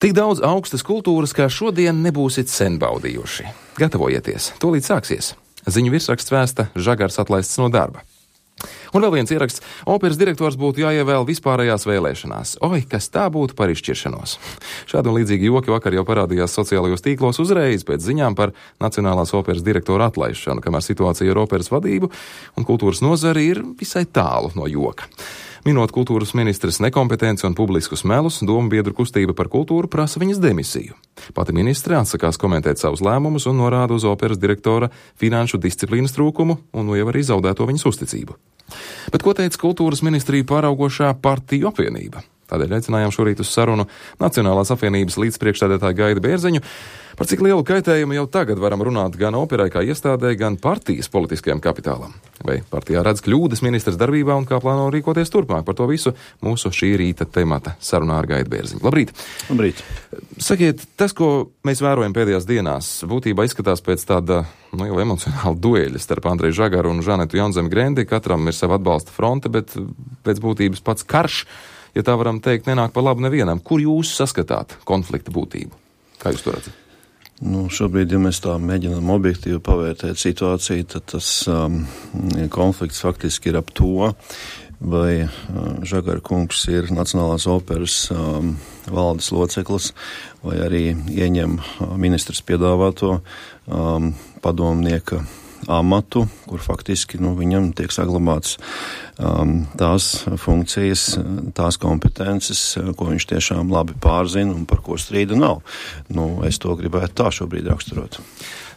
Tik daudz augstas kultūras, kā šodien nebūsit sen baudījuši. Gatavojieties, tūlīt sāksies. Ziņu virsraksts vēsta Žagars atlaists no darba. Un vēl viens ieraksts - operas direktors būtu jāievēl vispārējās vēlēšanās. Oi, kas tā būtu par izšķiršanos. Šādi un līdzīgi joki vakar jau parādījās sociālajos tīklos uzreiz pēc ziņām par Nacionālās operas direktora atlaišanu, kamēr situācija ar operas vadību un kultūras nozari ir visai tālu no joka. Minot kultūras ministres nekompetenci un publiskus melus, domu biedru kustība par kultūru prasa viņas demisiju. Pati ministre atsakās komentēt savus lēmumus un norāda uz operas direktora finanšu disciplīnas trūkumu un nu jau arī zaudēto viņas uzticību. Bet ko teica kultūras ministriju pāraugošā partiju apvienība? Tādēļ aicinājām šorīt uz sarunu Nacionālās apvienības līdzpriekšsēdētāju Gaidu Bērziņu, par cik lielu kaitējumu jau tagad varam runāt gan operai kā iestādē, gan partijas politiskajam kapitālam. Vai partijā redz kļūdas ministras darbībā un kā plāno rīkoties turpmāk? Par to visu mūsu šī rīta temata sarunā ar Gaidu Bērziņu. Labrīt! Labrīt! Sakiet, tas, ko mēs vērojam pēdējās dienās, būtībā izskatās pēc tāda jau emocionāla dueļa starp Andreju Žagaru un Žanetu Jaunzemi Grendi. Katram ir sava atbalsta fronte, bet pēc būtības pats karš, ja tā varam teikt, nenāk pa labu nevienam. Kur jūs saskatāt konflikta būtību? Kā jūs to redzat? Šobrīd, ja mēs tā mēģinām objektīvi pavērtēt situāciju, tad tas konflikts faktiski ir ap to, vai Žagara kungs ir Nacionālās operas valdes loceklis, vai arī ieņem ministrs piedāvāto padomnieka amatu, kur faktiski viņam tiek saglabāts tās funkcijas, tās kompetences, ko viņš tiešām labi pārzina un par ko strīda nav. Es to gribētu tā šobrīd raksturot.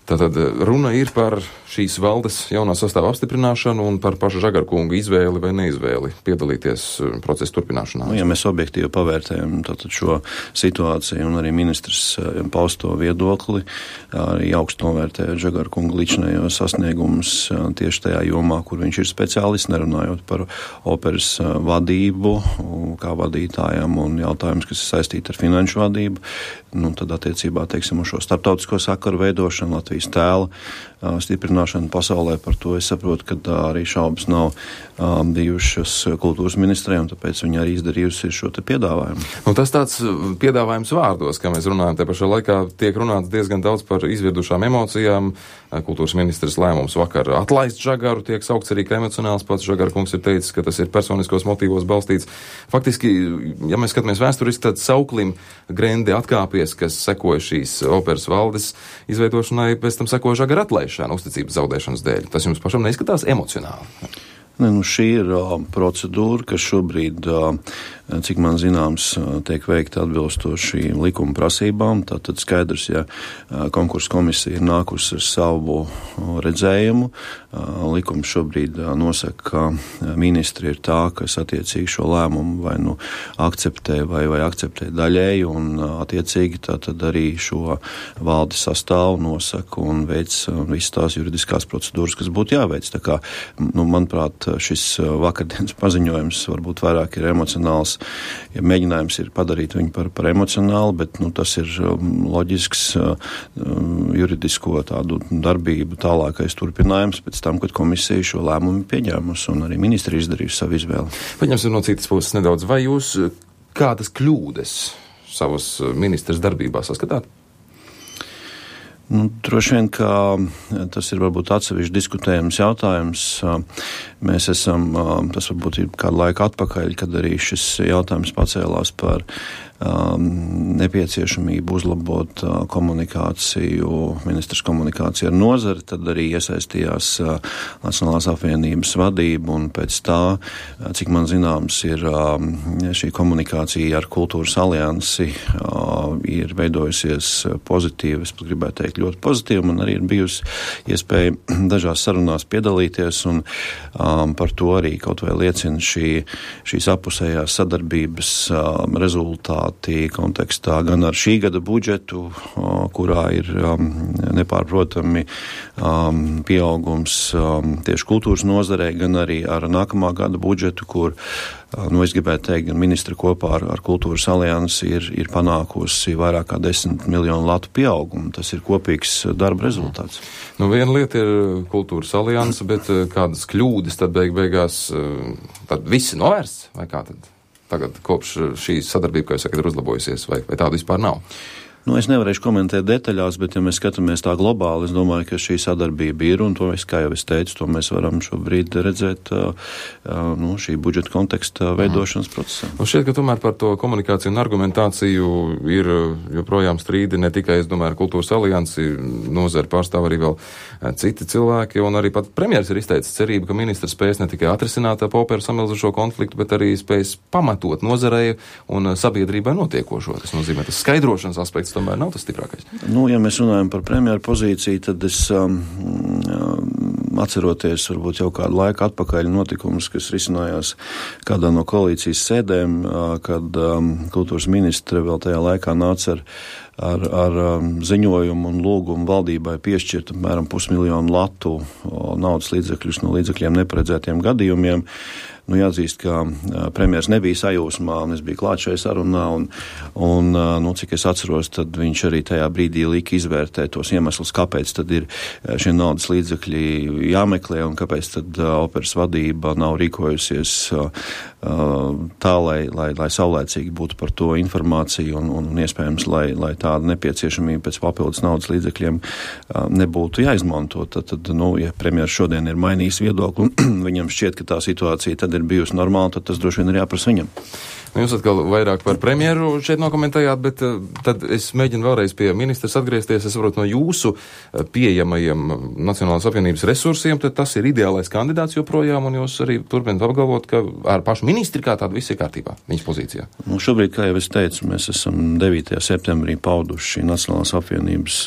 Tātad runa ir par šīs valdes jaunā sastāva apstiprināšanu un par pašu Žagara kunga izvēli vai neizvēli piedalīties procesa turpināšanā. Ja mēs objektīvi pavērtējam šo situāciju un arī ministrs pausto viedokli, arī augstu novērtējot Žagara kunga līdzinējos sasniegumus tieši tajā jomā, kur viņš ir speciālists, nerunājot par operas vadību, kā vadītājam un jautājums, kas ir saistīti ar finanšu vadību, tad attiecībā, uz šo starptautisko sakaru veidošanu, Latvijas tēla stiprināšanu pasaulē, par to es saprotu, ka arī šaubas nav bijušas kultūras ministrē, un tāpēc viņa arī izdarījusi šo te piedāvājumu. Tas tāds piedāvājums vārdos, kā mēs runājam, te pašā laikā tiek runāts diezgan daudz par izvirdušām emocijām. Kultūras ministrs lēmums vakar atlaist Žagaru tiek saukts arī kā emocionāls. Pats Žagara kungs ir teicis, ka tas ir personiskos motīvos balstīts. Faktiski, ja mēs skatāmies vēsturiski, tad sauklim Grendi atkāpies, kas sekoja šīs operas valdes izveidošanai, pēc tam sekoja Žagara atlaišana uzticības zaudēšanas dēļ. Tas jums pašam neizskatās emocionāli? Šī ir procedūra, kas šobrīd, cik man zināms, tiek veikta atbilstoši likuma prasībām. Tātad skaidrs, ja konkursa komisija ir nākusi ar savu redzējumu, likums šobrīd nosaka, ka ministri ir tā, kas attiecīgi šo lēmumu vai akceptē vai akceptē daļēji, un attiecīgi tātad arī šo valdi sastāvu nosaka un veic visas tās juridiskās procedūras, kas būtu jāveic. Tā kā, manuprāt, šis vakardienas paziņojums varbūt vairāk ir emocionāls, ja mēģinājums ir padarīt viņu par emocionālu, bet tas ir loģisks juridisko tādu darbību tālākais turpinājums pēc tam, kad komisija šo lēmumu pieņēmusi un arī ministri izdarījusi savu izvēli. Paņemsim no citas puses nedaudz. Vai jūs kādas kļūdas savas ministras darbībā saskatāt? Droši vien, ka tas ir varbūt atsevišķi diskutējams jautājums. Mēs esam, tas varbūt ir kādu laiku atpakaļ, kad arī šis jautājums pacēlās par nepieciešamību uzlabot komunikāciju, ministrs komunikāciju ar nozari, tad arī iesaistījās Nacionālās apvienības vadība, un pēc tā, cik man zināms, ir šī komunikācija ar Kultūras aliansi ir veidojusies pozitīvi, es pat gribētu teikt ļoti pozitīvi, man arī ir bijusi iespēja dažās sarunās piedalīties, un par to arī kaut vai liecina šīs apusējās sadarbības rezultāti kontekstā gan ar šī gada budžetu, kurā ir nepārprotami pieaugums tieši kultūras nozarē, gan arī ar nākamā gada budžetu, kur, es gribētu teikt, gan ministri kopā ar Kultūras aliansi ir panākusi vairāk kā 10 miljonu latu pieaugumu. Tas ir kopīgs darba rezultāts. Viena lieta ir Kultūras alianse, bet kādas kļūdas tad beigās tad visi novērsts, vai kā tad? tagad kopš šī sadarbība, kā jūs sakat, ir uzlabojusies, vai tāda vispār nav? Nu, es nevarēšu komentēt detaļās, bet ja mēs skatāmies tā globāli, es domāju, ka šī sadarbība ir, un to, kā jau es teicu, to mēs varam šobrīd redzēt šī budžeta konteksta veidošanas procesā. Un šķiet, ka tomēr par to komunikāciju un argumentāciju ir joprojām strīdi ne tikai, es domāju, ar Kultūras aliansi, nozari pārstāv arī vēl citi cilvēki, un arī pat premjeras ir izteicis cerību, ka ministrs spēs ne tikai atrisināt ap operu samilzušo konfliktu, bet arī spēs pamatot nozarei un sabiedrībai notiekošo. Tas nozīmē, tas skaidrošanas aspekts tomēr nav tas stiprākais. Nu, ja mēs runājam par premjeru pozīciju, tad es atceroties varbūt jau kādu laiku atpakaļ notikumus, kas risinājās kādā no koalīcijas sēdēm, kad kultūras ministre vēl tajā laikā nāca ar ziņojumu un lūgumu valdībai piešķirt apmēram 500 000 latu naudas līdzekļus no līdzekļiem neparedzētiem gadījumiem. Nu, jāatzīst, ka premjers nebija sajūsmā, un es biju klāt šajā sarunā, un cik es atceros, tad viņš arī tajā brīdī lika izvērtēt tos iemeslus, kāpēc tad ir šie naudas līdzekļi jāmeklē, un kāpēc tad operas vadība nav rīkojusies tā, lai saulēcīgi būtu par to informācija, un iespējams, lai tāda nepieciešamība pēc papildus naudas līdzekļiem nebūtu jāizmanto. Tad, ja premjers šodien ir mainījis viedokli, viņam šķiet, ka tā situācija tad ir bijusi normāla, tad tas droši vien ir jāprasa viņam. Jūs atkal vairāk par premjeru šeit nokomentējāt, bet tad es mēģinu vēlreiz pie ministrs atgriezties. Es saprotu, no jūsu pieejamajiem Nacionālās apvienības resursiem, tad tas ir ideālais kandidāts joprojām, un jūs arī turpināt apgalvot, ka ar pašu ministri kā tādu viss ir kārtībā, viņas pozīcijā. Nu, šobrīd, kā jau es teicu, mēs esam 9. septembrī pauduši Nacionālās apvienības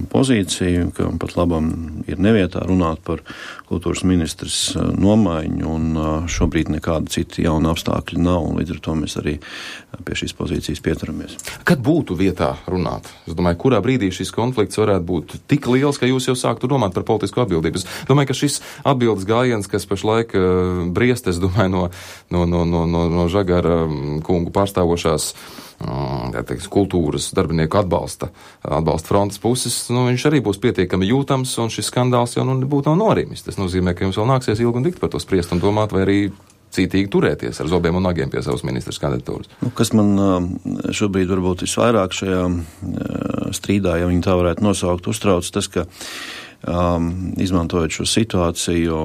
pozīciju, ka pat labam ir nevietā runāt par kultūras ministrs nomaiņu, un šobrīd nekāda cita jauna apstākļa nav, un līdz ar to mēs arī pie šīs pozīcijas pieturamies. Kad būtu vietā runāt? Es domāju, kurā brīdī šis konflikts varētu būt tik liels, ka jūs jau sāktu domāt par politisku atbildību. Es domāju, ka šis atbildes gājiens, kas pašlaik briest, es domāju, no Žagara kungu pārstāvošās kultūras darbinieku atbalsta frontes puses, viņš arī būs pietiekami jūtams, un šis skandāls jau nebūtu nav norimis. Tas nozīmē, ka jums vēl nāksies ilgi un dikti par to spriest un domāt, vai arī cītīgi turēties ar zobiem un nagiem pie savas ministras kandidatūras. Kas man šobrīd varbūt visvairāk šajā strīdā, ja viņi tā varētu nosaukt, uztrauc tas, ka izmantojot šo situāciju,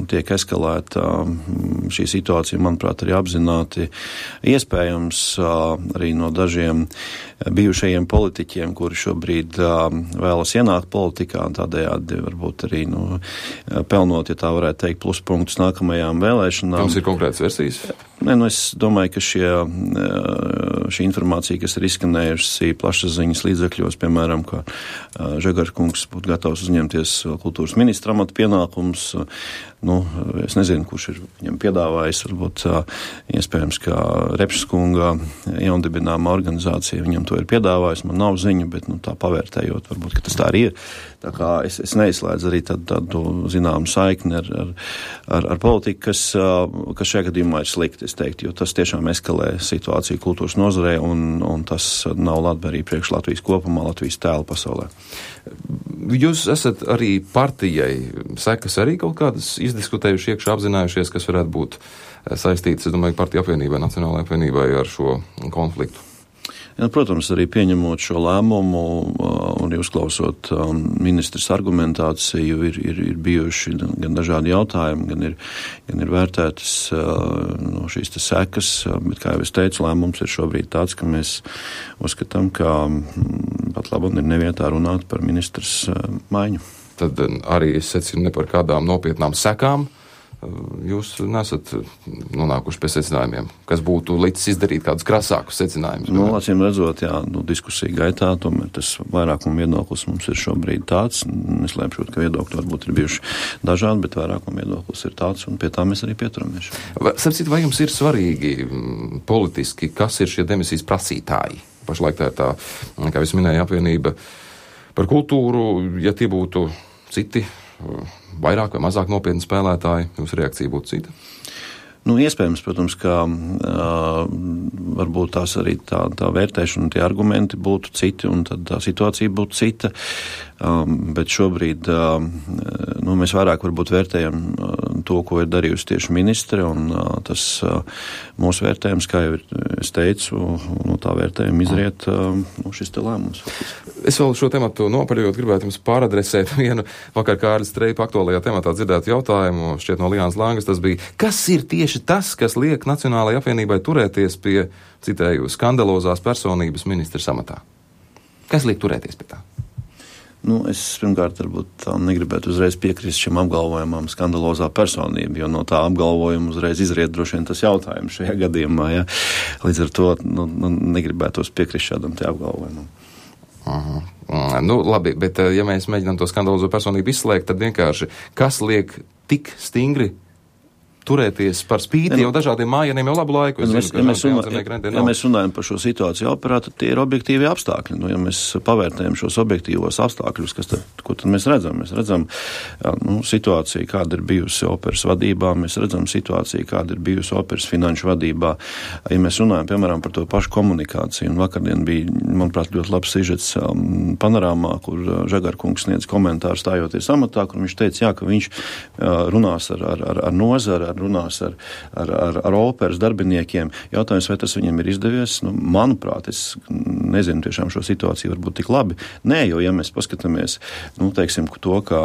tiek eskalēta šī situācija, manuprāt, arī apzināti iespējams arī no dažiem bijušajiem politiķiem, kuri šobrīd vēlas ienākt politikā, un tādējādi varbūt arī pelnot, ja tā varētu teikt, pluspunktus nākamajām vēlēšanām. Jums ir konkrētas versijas? Nē, es domāju, ka šī informācija, kas ir izskanējusi plašsaziņas līdzekļos, piemēram, ka Žagara kungs būtu gatavs uzņemties kultūras ministra amata pienākumus, es nezinu, kurš ir viņam piedāvājis, varbūt iespējams, ka Repšas kunga jaundibināma organizācija viņam to ir piedāvājis, man nav ziņa, bet tā pavērtējot, varbūt, ka tas tā arī ir. Tā kā es neizslēdzu arī tādu zināmu saikni ar politiku, kas šajā gadījumā ir slikti, es teiktu, jo tas tiešām eskalē situāciju kultūras nozarē, un tas nav labvēlīgi priekš Latvijas kopumā, Latvijas tēlu pasaulē. Jūs esat arī partijai sekas arī kaut kādas izdiskutējuši, iekšā apzinājušies, kas varētu būt saistītas, es domāju, partiju apvienībai, Nacionālajai apvienībai ar šo konfliktu? Ja, protams, arī pieņemot šo lēmumu un uzklausot ministras argumentāciju, ir bijuši gan dažādi jautājumi, gan ir vērtētas šīs sekas, bet, kā jau es teicu, lēmums ir šobrīd tāds, ka mēs uzskatām, ka pat labam ir nevietā runāt par ministras maiņu. Tad arī es secinu ne par kādām nopietnām sekām. Jūs nesat nonākuši pie secinājumiem, kas būtu licis izdarīt kādus krasākus secinājumus? Acīm redzot, diskusija gaitā, tomēr tas vairākuma viedoklis mums ir šobrīd tāds. Es lēpšot, ka viedokļi varbūt ir bijuši dažādi, bet vairākuma viedoklis ir tāds, un pie tā mēs arī pieturamies. Vai jums ir svarīgi politiski, kas ir šie demisijas prasītāji? Pašlaik tā ir tā, kā jūs minēja, apvienība par kultūru, ja tie būtu citi vairāk vai mazāk nopietni spēlētāji, jūsu reakcija būtu cita? Iespējams, protams, ka varbūt tās arī tā vērtēšana un tie argumenti būtu citi, un tad tā situācija būtu cita. bet šobrīd mēs vairāk varbūt vērtējam to, ko ir darījusi tieši ministre, un tas mūsu vērtējums, kā jau es teicu, no tā vērtējuma izriet šis te lēmums. Es vēl šo tematu nopaļojot gribētu jums pāradresēt vienu vakar Kārlis Streipa aktuālajā tematā dzirdētu jautājumu, šķiet no Liānas Langas, tas bija, kas ir tieši tas, kas liek Nacionālajai apvienībai turēties pie, citēju, skandalozās personības ministra amatā? Kas liek turēties pie tā? Es pirmkārt varbūt negribētu uzreiz piekrist šim apgalvojumam skandalozā personība, jo no tā apgalvojuma uzreiz izriet droši vien tas jautājums šajā gadījumā, ja? Līdz ar to negribētos piekrist šādam te apgalvojumam. Labi, bet ja mēs mēģinām to skandalozo personību izslēgt, tad vienkārši, kas liek tik stingri turēties par spīti jau dažādiem mājieniem jau labu laiku. Ja mēs runājam par šo situāciju operā, tad tie ir objektīvi apstākļi. Ja mēs pavērtējam šos objektīvos apstākļus, ko tad mēs redzam? Mēs redzam situāciju, kāda ir bijusi operas vadībā, mēs redzam situāciju, kāda ir bijusi operas finanšu vadībā. Ja mēs runājam, piemēram, par to pašu komunikāciju, un vakardien bija, manuprāt, ļoti labs sižets panorāmā, kur Žagarkungs sniedz komentāru stājoties amatā, kur viņš teica, ka viņš runās ar nozari, runās ar operas darbiniekiem. Jautājums, vai tas viņam ir izdevies? Manuprāt, es nezinu tiešām šo situāciju varbūt tik labi. Nē, jo, ja mēs paskatāmies, teiksim, to, ka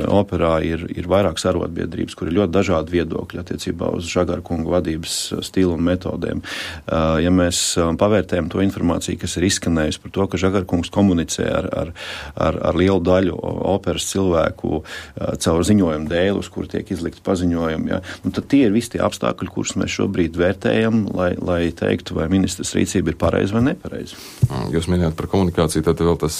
operā ir vairākas arotbiedrības, kur ir ļoti dažādi viedokļi attiecībā uz Žagarkunga vadības stilu un metodēm. Ja mēs pavērtējam to informāciju, kas ir izskanējusi par to, ka Žagarkungs komunicē ar lielu daļu operas cilvēku caur ziņojumu dēļ, uz kur tiek izlikt paziņojumi, tad tie ir visi tie apstākļi, kurus mēs šobrīd vērtējam, lai teiktu, vai ministras rīcība ir pareiza vai nepareiza. Jūs minējāt par komunikāciju, tad vēl tas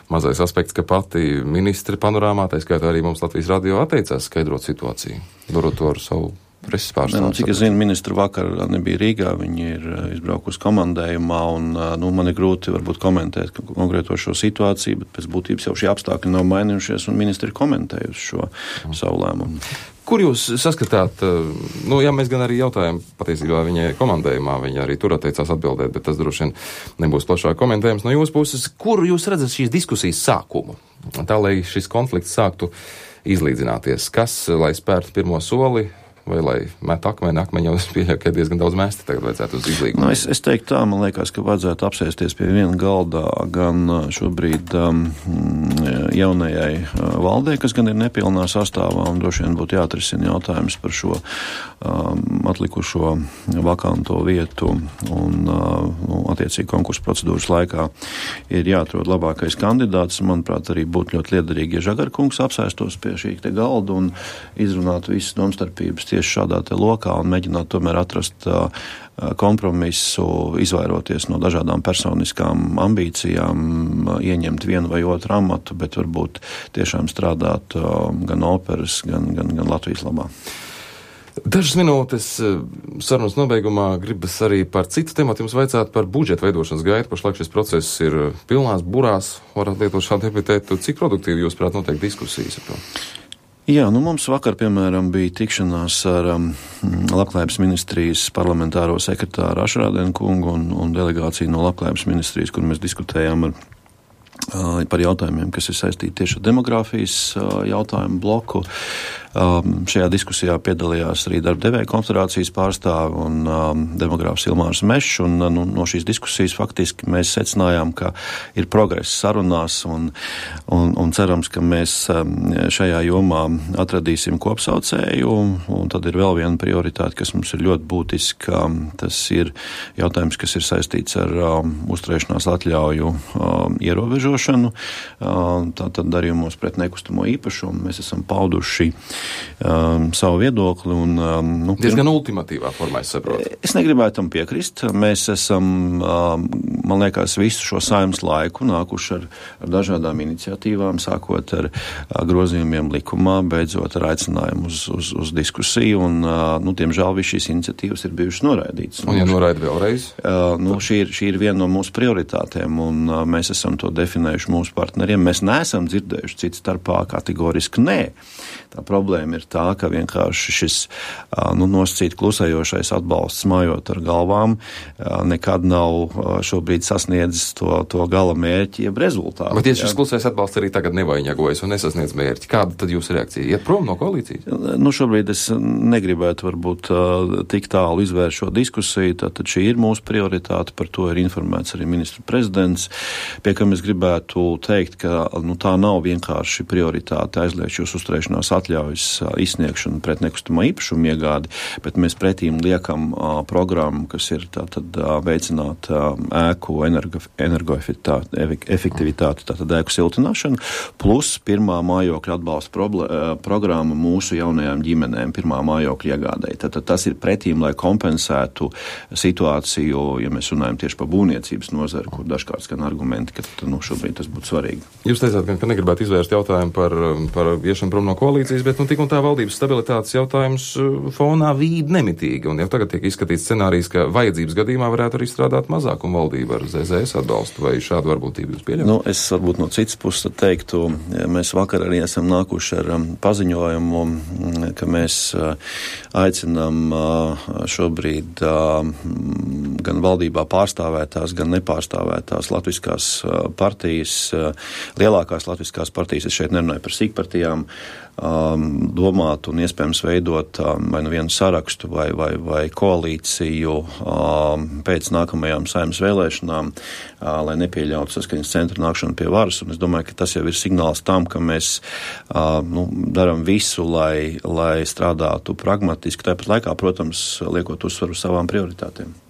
mazais aspekts, ka pati ministre panorāmā, tā skaitā arī mums Latvijas radio atteicās skaidrot situāciju, darot to ar savu preses pārstāvu. Cik es zinu, ministra vakar nebija Rīgā, viņi ir izbraukusi komandējumā, un man ir grūti varbūt komentēt konkrēto šo situāciju, bet pēc būtības jau šie apstākļi nav mainījušies, un ministri ir komentējusi šo savu lēmumu. Kur jūs saskatāt, ja mēs gan arī jautājam, patiesībā viņai komandējumā, viņa arī tur atteicās atbildēt, bet tas droši vien nebūs plašāk komentējums no jūsu puses, kur jūs redzat šīs diskusijas sākumu? Tā, lai šis konflikts sāktu izlīdzināties, kas, lai spērtu pirmo soli, vai lai met akmeņu, jau es pieļauju, ka diezgan daudz mēsti tagad vajadzētu uz izlīgumu. Es teiktu tā, man liekas, ka vajadzētu apsēsties pie viena galdā gan šobrīd jaunajai valdē, kas gan ir nepilnā sastāvā, un droši vien būtu jāatrisina jautājums par šo atlikušo vakanto vietu, un attiecīgi konkursu procedūras laikā ir jāatrod labākais kandidāts. Manuprāt, arī būtu ļoti liederīgi, ja Žagarkungs apsēstos pie šī te galda un izrunātu visas domstarpības tieši šādā te lokā un mēģināt tomēr atrast kompromisu, izvairoties no dažādām personiskām ambīcijām, ieņemt vienu vai otru amatu, bet varbūt tiešām strādāt gan operas, gan Latvijas labā. Dažas minūtes sarunas nobeigumā gribas arī par citu tematu jums vaicāt par budžeta veidošanas gaitu. Pašlaik šis process ir pilnās burās, varat lietot šādu epitētu. Cik produktīvi jūs prāt notiek diskusijas ar to? Jā, mums vakar, piemēram, bija tikšanās ar Labklājības ministrijas parlamentāro sekretāru Ašrādenu kungu un delegāciju no Labklājības ministrijas, kur mēs diskutējām par jautājumiem, kas ir saistīti tieši ar demogrāfijas jautājumu bloku. Šajā diskusijā piedalījās arī darba devēja konfederācijas pārstāvi un demogrāfs Ilmārs Mešs, un no šīs diskusijas faktiski mēs secinājām, ka ir progress sarunās un cerams, ka mēs šajā jomā atradīsim kopsaucēju, un tad ir vēl viena prioritāte, kas mums ir ļoti būtiska. Tas ir jautājums, kas ir saistīts ar uzturēšanās atļauju ierobežošanu, tātad darījumos pret nekustamo īpašumu. Mēs esam pauduši savu viedokli. Diezgan ultimatīvā formā, es saprotu. Es negribētu tam piekrist. Mēs esam, man liekas, visu šo saimnes laiku nākuši ar dažādām iniciatīvām, sākot ar grozījumiem likumā, beidzot ar aicinājumu uz diskusiju, un, diemžēl, viss šīs iniciatīvas ir bijušas noraidītas. Un ja noraida vēlreiz? Šī ir viena no mūsu prioritātēm, un mēs esam to definējuši mūsu partneriem. Mēs neesam dzirdējuši citu starpā kategoriski nē. Tā problēma problēma ir tā, ka vienkārši šis nosacīt klusējošais atbalsts mājot ar galvām nekad nav šobrīd sasniedzis to gala mērķi, jeb rezultātu. Bet tieši šis klusais atbalsts arī tagad nevainagojas un nesasniedz mērķi. Kāda tad jūsu reakcija? Iet prom no koalīcijas? Šobrīd es negribētu varbūt tik tālu izvērst šo diskusiju, tātad šī ir mūsu prioritāte, par to ir informēts arī ministru prezidents, pie kam es gribētu teikt, ka tā nav vienkārši prioritāte aizliegt jūs uzturēšanās atļaujas izsniegšanu pret nekustamā īpašuma iegādi, bet mēs pretīm liekam programmu, kas ir tātad veicināt ēku energoefektivitāti, tātad ēku siltināšanu, plus pirmā mājokļa atbalsta programma mūsu jaunajām ģimenēm, pirmā mājokļa iegādēji. Tātad tas ir pretīm, lai kompensētu situāciju, ja mēs runājam tieši par būvniecības nozari, kur dažkārt skan argumenti, ka šobrīd tas būtu svarīgi. Jūs teicāt, ka negribētu izvērst jautājumu par iešanu prom no koalīcijas, bet tik un tā valdības stabilitātes jautājums fonā vīd nemitīgi, un jau tagad tiek izskatīts scenārijs, ka vajadzības gadījumā varētu arī strādāt mazākuma valdība ar ZZS atbalstu, vai šādu varbūtību jūs pieļaujat? Es varbūt no citas puses teiktu, mēs vakar arī esam nākuši ar paziņojumu, ka mēs aicinām šobrīd gan valdībā pārstāvētās, gan nepārstāvētās latviskās partijas, lielākās latviskās partijas, es šeit nerunāju par sīkpartijām, domāt un iespējams veidot vai nu vienu sarakstu vai koalīciju pēc nākamajām Saeimas vēlēšanām, lai nepieļautu Saskaņas centra nākšanu pie varas. Un es domāju, ka tas jau ir signāls tam, ka mēs darām visu, lai strādātu pragmatiski, tāpat laikā, protams, liekot uzsvaru uz savām prioritātēm.